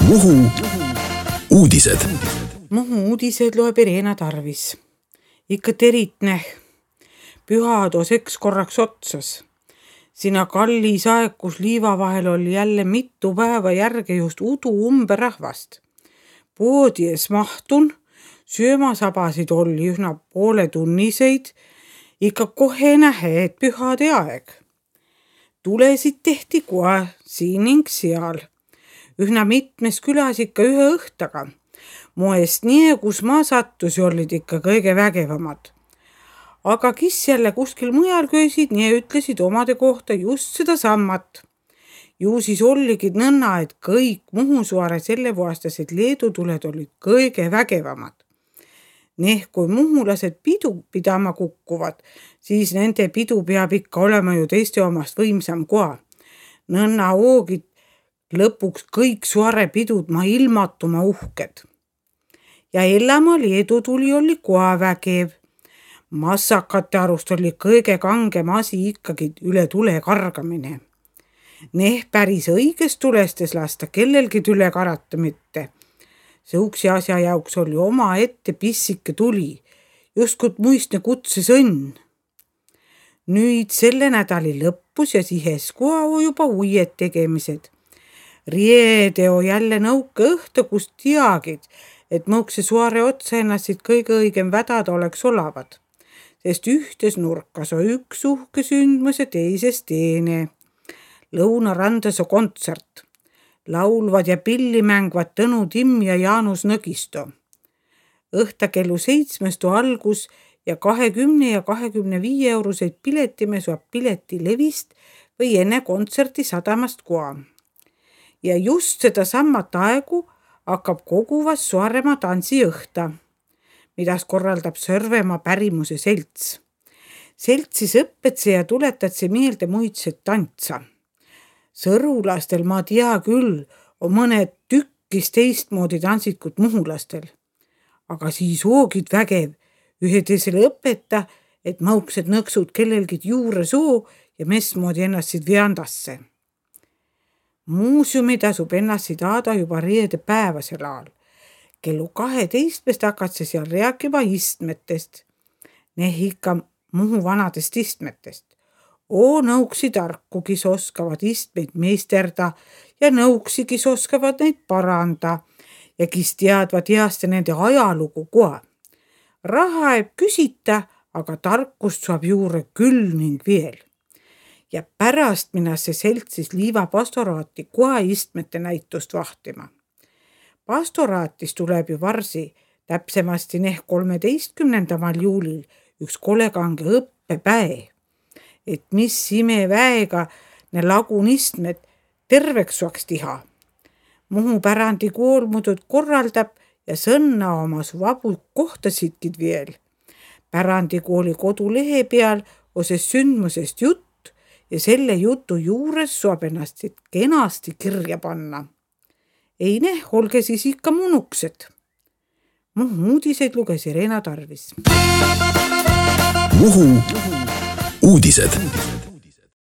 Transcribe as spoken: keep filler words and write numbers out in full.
Muhu uudised. Muhu uudised loeb Irena Tarvis. Ikka teritne. Pühad oseks korraks otsas. Sina kallis aeg, kus liiva vahel oli jälle mitu päeva järge just udu umbe rahvast. Poodi ees mahtun, söömasabasid oli üsna poole tunniseid, ikka kohe nähe, et pühade aeg. Tulesid tehti kohe siin ning seal. Ühna mitmes külas ikka ühe õhtaga. Moest nii, kus ma sattusi olid ikka kõige vägevamad. Aga kes jälle kuskil mujal köisid, nii ütlesid omade kohta just seda sammat. Ju siis olligid nõnna, et kõik Muhusaare selle vuastased leedutuled olid kõige vägevamad. Neh, kui muhulased pidu pidama kukkuvad, siis nende pidu peab ikka olema ju teiste omast võimsam koha. Nõnna oogid lõpuks kõik suare pidud ma ilmatuma uhked. Ja Ellamaa leedutuli oli koha vägev. Massakate arust oli kõige kangem asi ikkagi üle tule kargamine. Neh päris õigest tulestes lasta kellelgi üle karata mitte. Seuksi asja jauks oli oma ette pissike tuli, justkut muistne kutses õnn. Nüüd selle nädali lõppus ja sihes koha juba uued tegemised. Riedeo jälle nõuke õhtu, kus teagid, et mõukse suare otsa ennast kõige õigem vädada oleks olavad. Sest ühtes nurkas on üks uhke sündmus ja teises teine. Lõunarandas on kontsert. Laulvad ja pilli mängvad Tõnu Timm ja Jaanus Nõgisto. Õhta kellu seitsmest on algus ja kahekümne ja kahekümne viie euroseid piletime saab pileti levist või enne kontserti sadamast koha. Ja just seda sammat aegu hakkab koguvas Saaremaa tantsi õhta, midas korraldab Sõrvemaa pärimuse selts. Seltsis õpetse ja tuletatse meelde muidset tantsa. Sõrulastel ma tea küll, on mõned tükkis teistmoodi tantsikud muhulastel. Aga siis hoogid vägev, ühe teisele õpeta, et mõuksed nõksud kellelgi juure soo ja mesmoodi ennast veandasse. Muuseumi tasub ennast taada juba reede päevasel ajal. Kellu kaheteistmest hakatse seal rääkima istmetest. Neh ikka Muhu vanadest istmetest. Oo nõuksi tarku, kes oskavad istmeid meisterda ja nõuksi, kes oskavad neid paranda ja kes teadvad heaste nende ajalugu koha. Raha ei küsita, aga tarkust saab juurde küll ning veel. Ja pärast minnas see seltsis liiva pastoraati koha istmete näitust vahtima. Pastoraatis tuleb ju varsi, täpsemasti neh kolmeteistkümnendamal juulil üks kolekange õppepäev, et mis ime väega ne lagun istmed terveks saaks tiha. Muhu pärandi kool muudud korraldab ja sõnna omas vabu kohtasidkid veel. Pärandikooli kodulehe peal oses sündmusest jutt, ja selle jutu juures saab ennast kenasti kirja panna. Ei neh, olge siis ikka munuksed. Muhu uudised luges Irena Tarvis. Muhu uudised.